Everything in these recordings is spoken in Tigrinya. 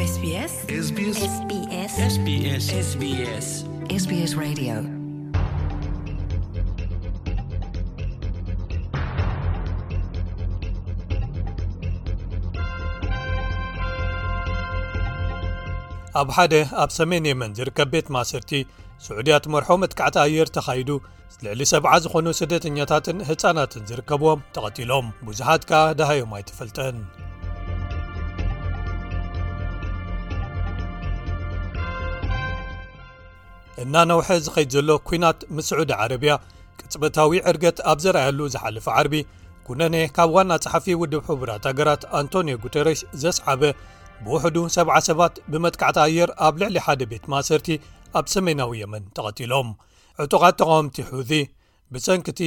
SBS SBS SBS SBS SBS SBS Radio. ኣብ ሓደ ኣብ ሰሜን የመን ዝርከብ ቤት ማእሰርቲ፣ ስዑድያ ትመርሖ መጥቃዕቲ ኣየር ተኻይዱ፣ ልዕሊ ሰብዓ ዝኾኑ ስደተኛታትን ህጻናትን ዝርከብዎም ተቐቲሎም። ብዙሓት ከኣ ደሃዮም ኣይተፈልጠን። እናነውሐ ዝኸይድ ዘሎ ኲናት ምስ ስዑዲ ዓረብያ ቅጽበታዊ ዕርገት ኣብ ዘርኣየሉ ዝሓለፈ ዓርቢ፣ ኩነኔ ካብ ዋና ጸሓፊ ውድብ ሕቡራት ሃገራት ኣንቶኒዮ ጉተረሽ ዘስዓበ፣ ብውሕዱ ሰብዓ ሰባት ብመጥቃዕቲ ኣየር ኣብ ልዕሊ ሓደ ቤት ማእሰርቲ ኣብ ሰሜናዊ የመን ተቐቲሎም። ዕጡቓት ተቓወምቲ ሑዚ፣ ብሰንኪ እቲ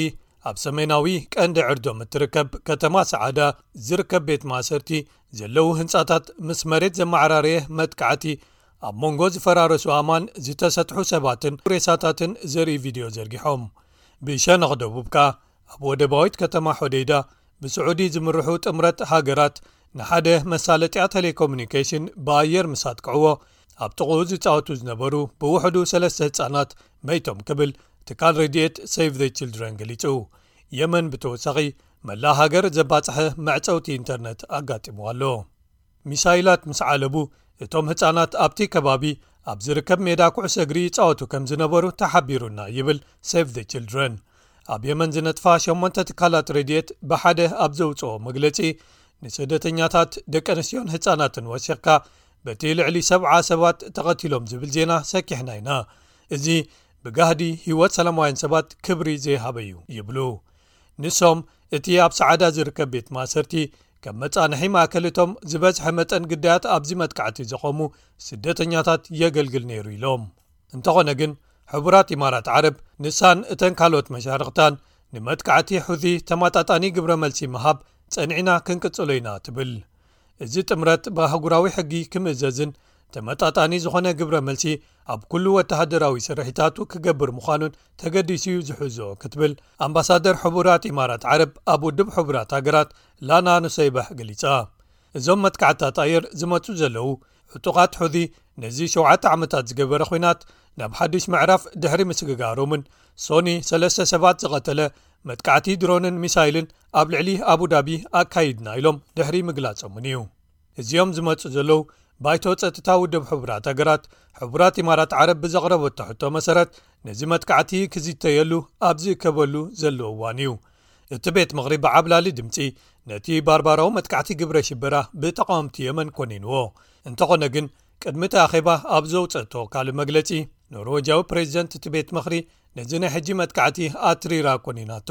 ኣብ ሰሜናዊ ቀንዲ ዕርዶም እትርከብ ከተማ ሰዓዳ ዝርከብ ቤት ማእሰርቲ ዘለዉ ህንጻታት ምስ መሬት ዘመዓራረየ መጥቃዕቲ፣ ኣብ መንጎ ዝፈራረሱ ኣማን ዝተሰጥሑ ሰባትን ሬሳታትን ዘርኢ ቪድዮ ዘርጊሖም። ብሸነኽ ደቡብ ከኣ፣ ኣብ ወደባዊት ከተማ ሖደይዳ ብስዑዲ ዝምርሑ ጥምረት ሃገራት ንሓደ መሳለጥያ ቴሌኮሙኒኬሽን ብኣየር ምስ ኣጥቅዕዎ፣ ኣብ ጥቕኡ ዝጻወቱ ዝነበሩ ብውሕዱ ሰለስተ ህጻናት መይቶም ክብል ትካል ረድኤት ሴቭ ዘ ችልድረን ገሊጹ። የመን ብተወሳኺ መላእ ሃገር ዘባጽሐ መዕጸውቲ ኢንተርነት ኣጋጢምዋ ኣሎ። ሚሳይላት ምስ ዓለቡ፣ እቶም ህጻናት ኣብቲ ከባቢ ኣብ ዝርከብ ሜዳ ኩዕሶ እግሪ ይጻወቱ ከም ዝነበሩ ተሓቢሩና ይብል ሴቭ ዘ ችልድረን። ኣብ የመን ዝነጥፋ ሸሞንተ ትካላት ረድኤት ብሓደ ኣብ ዘውጽኦ መግለጺ፣ ንስደተኛታት ደቂ ኣንስትዮን ህጻናትን ወሲኽካ በቲ ልዕሊ ሰብዓ ሰባት ተቐቲሎም ዝብል ዜና ሰኪሕና ኢና። እዚ ብጋህዲ ህይወት ሰላማውያን ሰባት ክብሪ ዘይሃበ እዩ ይብሉ። ንሶም እቲ ኣብ ሰዓዳ ዝርከብ ቤት ማእሰርቲ ከም መጻንሒ ማእከል እቶም ዝበዝሐ መጠን ግዳያት ኣብዚ መጥቃዕቲ ዘቖሙ ስደተኛታት የገልግል ነይሩ ኢሎም። እንተኾነ ግን፣ ሕቡራት ኢማራት ዓረብ ንሳን እተን ካልኦት መሻርኽታን ንመጥቃዕቲ ሑዚ ተመጣጣኒ ግብረ መልሲ ምሃብ ጸኒዕና ክንቅጽሎ ኢና ትብል። እዚ ጥምረት ብኣህጉራዊ ሕጊ ክምእዘዝን ተመጣጣኒ ዝኾነ ግብረ መልሲ ኣብ ኩሉ ወተሃደራዊ ስርሒታቱ ክገብር ምዃኑን ተገዲሱ እዩ ዝሕዞ ክትብል ኣምባሳደር ሕቡራት ኢማራት ዓረብ ኣብ ውድብ ሕቡራት ሃገራት ላና ኑሰይባሕ ገሊጻ። እዞም መጥቃዕታት ኣየር ዝመጹ ዘለዉ ዕጡቓት ሑዚ ነዚ ሸውዓተ ዓመታት ዝገበረ ኲናት ናብ ሓድሽ ምዕራፍ ድሕሪ ምስግጋሮምን ሶኒ ሰለስተ ሰባት ዝቐተለ መጥቃዕቲ ድሮንን ሚሳይልን ኣብ ልዕሊ ኣቡዳቢ ኣካይድና ኢሎም ድሕሪ ምግላጾምን እዩ። እዚኦም ዝመጹ ዘለዉ ባይቶ ጸጥታ ውድብ ሕቡራት ሃገራት፣ ሕቡራት ኢማራት ዓረብ ብዘቕረበቶ ሕቶ መሰረት ነዚ መጥቃዕቲ ክዝተየሉ ኣብ ዝእከበሉ ዘሎ እዋን እዩ። እቲ ቤት ምኽሪ ብዓብላሊ ድምጺ ነቲ ባርባራዊ መጥቃዕቲ ግብረ ሽበራ ብተቓወምቲ የመን ኮኒንዎ። እንተኾነ ግን፣ ቅድሚ እቲ ኣኼባ ኣብ ዘውጸቶ ካልእ መግለጺ፣ ኖርወጃዊ ፕሬዚደንት እቲ ቤት ምኽሪ ነዚ ናይ ሕጂ መጥቃዕቲ ኣትሪራ ኮኒናቶ።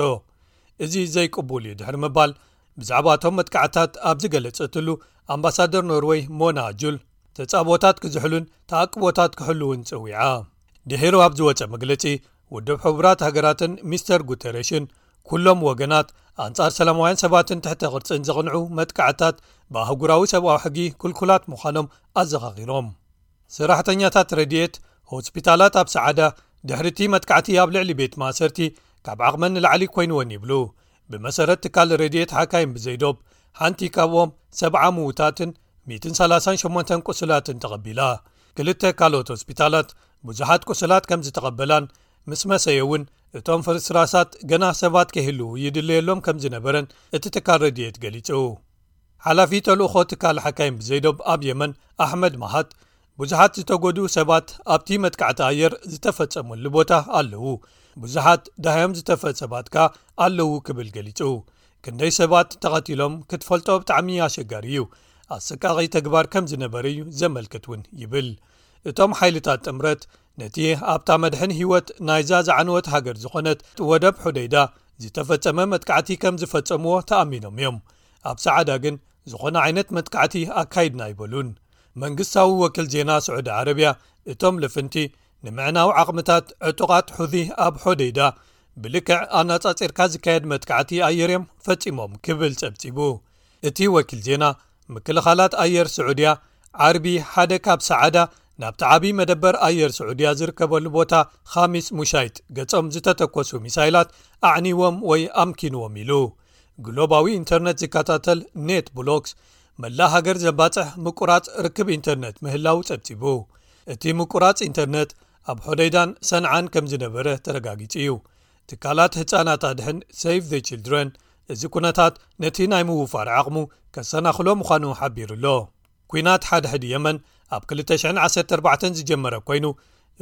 እዚ ዘይቅቡል እዩ ድሕሪ ምባል፣ ብዛዕባ እቶም መጥቃዕታት ኣብ ዝገለጸትሉ፣ ኣምባሳደር ኖርወይ ሞና ጁል፣ ተጻብኦታት ክዝሕሉን ተኣቅቦታት ክሕልውን ጸዊዓ። ድሒሩ ኣብ ዝወጸ መግለጺ፣ ውድብ ሕቡራት ሃገራትን ሚስተር ጉተረሽን፣ ኩሎም ወገናት ኣንጻር ሰላማውያን ሰባትን ትሕተ ቅርጽን ዘቕንዑ መጥቃዕታት ብኣህጉራዊ ሰብኣዊ ሕጊ ክልኩላት ምዃኖም ኣዘኻኺሮም። ሰራሕተኛታት ረድኤት፣ ሆስፒታላት ኣብ ሰዓዳ ድሕሪ እቲ መጥቃዕቲ ኣብ ልዕሊ ቤት ማእሰርቲ ካብ ዓቕመን ንላዕሊ ኮይንወን ይብሉ። ብመሰረት ትካል ረድኤት ሓካይም ብዘይዶብ፣ ሓንቲ ካብኦም ሰብዓ ምዉታትን ሚእትን ሰላሳን ሸሞንተን ቁሱላትን ተቐቢላ። ክልተ ካልኦት ሆስፒታላት ብዙሓት ቁሱላት ከም ዝተቐበላን ምስ መሰየ እውን እቶም ፍርስራሳት ገና ሰባት ከይህልዉ ይድለየሎም ከም ዝነበረን እቲ ትካል ረድኤት ገሊጹ። ሓላፊ ተልእኾ ትካል ሓካይም ብዘይዶብ ኣብ የመን ኣሕመድ ማሃት፣ ብዙሓት ዝተጎድኡ ሰባት ኣብቲ መጥቃዕቲ ኣየር ዝተፈጸመሉ ቦታ ኣለዉ፣ ብዙሓት ደሃዮም ዝተፈ ሰባት ከኣ ኣለዉ ክብል ገሊጹ። ክንደይ ሰባት ተቐቲሎም ክትፈልጦ ብጣዕሚ ኣሸጋሪ እዩ። ኣሰቃቒ ተግባር ከም ዝነበረ እዩ ዘመልክት እውን ይብል። እቶም ሓይልታት ጥምረት ነቲ ኣብታ መድሕን ህይወት ናይዛ ዝዓነወት ሃገር ዝኾነት ወደብ ሑደይዳ ዝተፈጸመ መጥቃዕቲ ከም ዝፈጸምዎ ተኣሚኖም እዮም። ኣብ ሰዓዳ ግን ዝኾነ ዓይነት መጥቃዕቲ ኣካይድና ኣይበሉን። መንግስታዊ ወኪል ዜና ስዑዲ ዓረብያ፣ እቶም ልፍንቲ ንምዕናው ዓቕምታት ዕጡቓት ሑዚ ኣብ ሖደይዳ ብልክዕ ኣነጻጺርካ ዝካየድ መጥቃዕቲ ኣየር እዮም ፈጺሞም ክብል ጸብጺቡ። እቲ ወኪል ዜና፣ ምክልኻላት ኣየር ስዑድያ ዓርቢ ሓደ ካብ ሰዓዳ ናብቲ ዓቢ መደበር ኣየር ስዑድያ ዝርከበሉ ቦታ ኻሚስ ሙሻይት ገጾም ዝተተኮሱ ሚሳይላት ኣዕኒዎም ወይ ኣምኪንዎም ኢሉ። ግሎባዊ ኢንተርነት ዝከታተል ኔት ብሎክስ፣ መላእ ሃገር ዘባጽሕ ምቁራጽ ርክብ ኢንተርነት ምህላው ጸብጺቡ። እቲ ምቁራጽ ኢንተርነት ኣብ ሖደይዳን ሰንዓን ከም ዝነበረ ተረጋጊጹ እዩ። ትካላት ህጻናት ኣድሕን Save the Children፣ እዚ ኩነታት ነቲ ናይ ምውፋር ዓቕሙ ከሰናኽሎ ምዃኑ ሓቢሩ ኣሎ። ኲናት ሓድሕድ የመን ኣብ ክልተ ሽሕን ዓሰርተ ኣርባዕተን ዝጀመረ ኮይኑ፣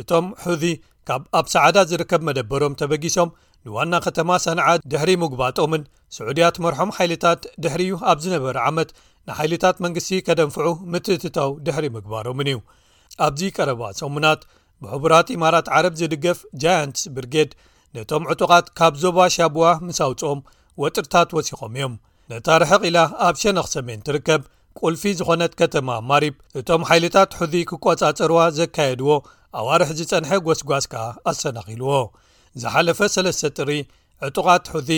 እቶም ሑዚ ካብ ኣብ ሰዓዳ ዝርከብ መደበሮም ተበጊሶም ንዋና ከተማ ሰንዓ ድሕሪ ምግባጦምን፣ ስዑድያ ትመርሖም ሓይልታት ድሕሪኡ ኣብ ዝነበረ ዓመት ንሓይልታት መንግስቲ ከደንፍዑ ምትእትታው ድሕሪ ምግባሮምን እዩ። ኣብዚ ቀረባ ሰሙናት ብሕቡራት ኢማራት ዓረብ ዝድገፍ ጃያንትስ ብርጌድ ነቶም ዕጡቓት ካብ ዞባ ሻቡዋ ምስ ኣውጽኦም ወጥርታት ወሲኾም እዮም። ነታ ርሕቕ ኢላ ኣብ ሸነኽ ሰሜን ትርከብ ቁልፊ ዝኾነት ከተማ ማሪብ እቶም ሓይልታት ሑዚ ክቆጻጸርዋ ዘካየድዎ ኣዋርሕ ዝጸንሐ ጎስጓስ ከኣ ኣሰናኺልዎ። ዝሓለፈ ሰለስተ ጥሪ ዕጡቓት ሑዚ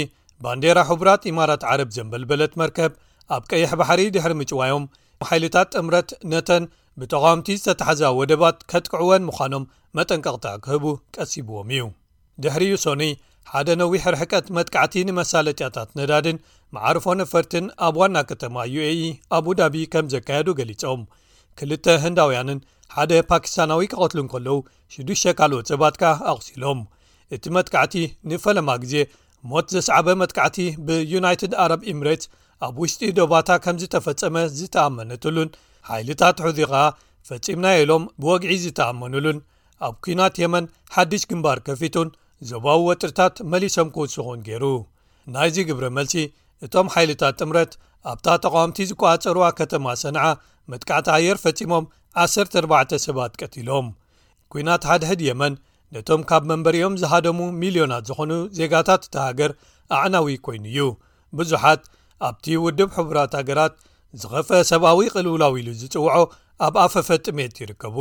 ባንዴራ ሕቡራት ኢማራት ዓረብ ዘንበልበለት መርከብ ኣብ ቀይሕ ባሕሪ ድሕሪ ምጭዋዮም፣ ሓይልታት ጥምረት ነተን ብተቓወምቲ ዝተታሕዛ ወደባት ከጥቅዕወን ምዃኖም መጠንቀቕታ ክህቡ ቀሲብዎም እዩ። ድሕሪኡ ሶኒ ሓደ ነዊሕ ርሕቀት መጥቃዕቲ ንመሳለጥያታት ነዳድን መዓርፎ ነፈርትን ኣብ ዋና ከተማ ዩ ኤ ኢ ኣቡዳቢ ከም ዘካየዱ ገሊጾም። ክልተ ህንዳውያንን ሓደ ፓኪስታናዊ ክቐትሉ እንከለዉ፣ ሽዱሽተ ካልኦት ሰባት ከኣ ኣቑሲሎም። እቲ መጥቃዕቲ ንፈለማ ግዜ ሞት ዘስዓበ መጥቃዕቲ ብዩናይትድ ኣረብ ኢምሬትስ ኣብ ውሽጢ ዶባታ ከም ዝተፈጸመ ዝተኣመነትሉን፣ ሓይልታት ሑዚ ከኣ ፈጺምናዮ ኢሎም ብወግዒ ዝተኣመኑሉን፣ ኣብ ኲናት የመን ሓድሽ ግንባር ከፊቱን ዞባዊ ወጥርታት መሊሶም ክውስኹን ገይሩ። ናይዚ ግብረ መልሲ፣ እቶም ሓይልታት ጥምረት ኣብታ ተቓወምቲ ዝቆጻጸርዋ ከተማ ሰንዓ መጥቃዕቲ ኣየር ፈጺሞም ዓሰርተ ኣርባዕተ ሰባት ቀቲሎም። ኲናት ሓድሕድ የመን ነቶም ካብ መንበሪኦም ዝሃደሙ ሚልዮናት ዝኾኑ ዜጋታት እታ ሃገር ኣዕናዊ ኮይኑ እዩ። ብዙሓት ኣብቲ ውድብ ሕቡራት ሃገራት ዝኸፍአ ሰብኣዊ ቅልውላው ኢሉ ዝጽውዖ ኣብ ኣፈፈ ጥሜት ይርከቡ።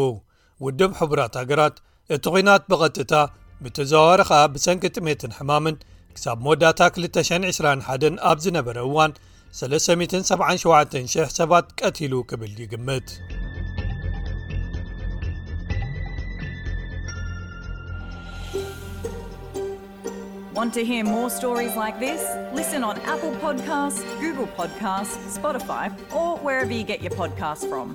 ውድብ ሕቡራት ሃገራት እቲ ኲናት ብቐጥታ፣ ብተዘዋዋሪ ከኣ ብሰንኪ ጥሜትን ሕማምን ክሳብ መወዳእታ ክልተ ሽሕን ዕስራን ሓደን ኣብ ዝነበረ እዋን ሰለስተ ሚእትን ሰብዓን ሸውዓተን ሽሕ ሰባት ቀቲሉ ክብል ይግምት። Want to hear more stories like this? Listen on Apple Podcasts, Google Podcasts, Spotify, or wherever you get your podcasts from.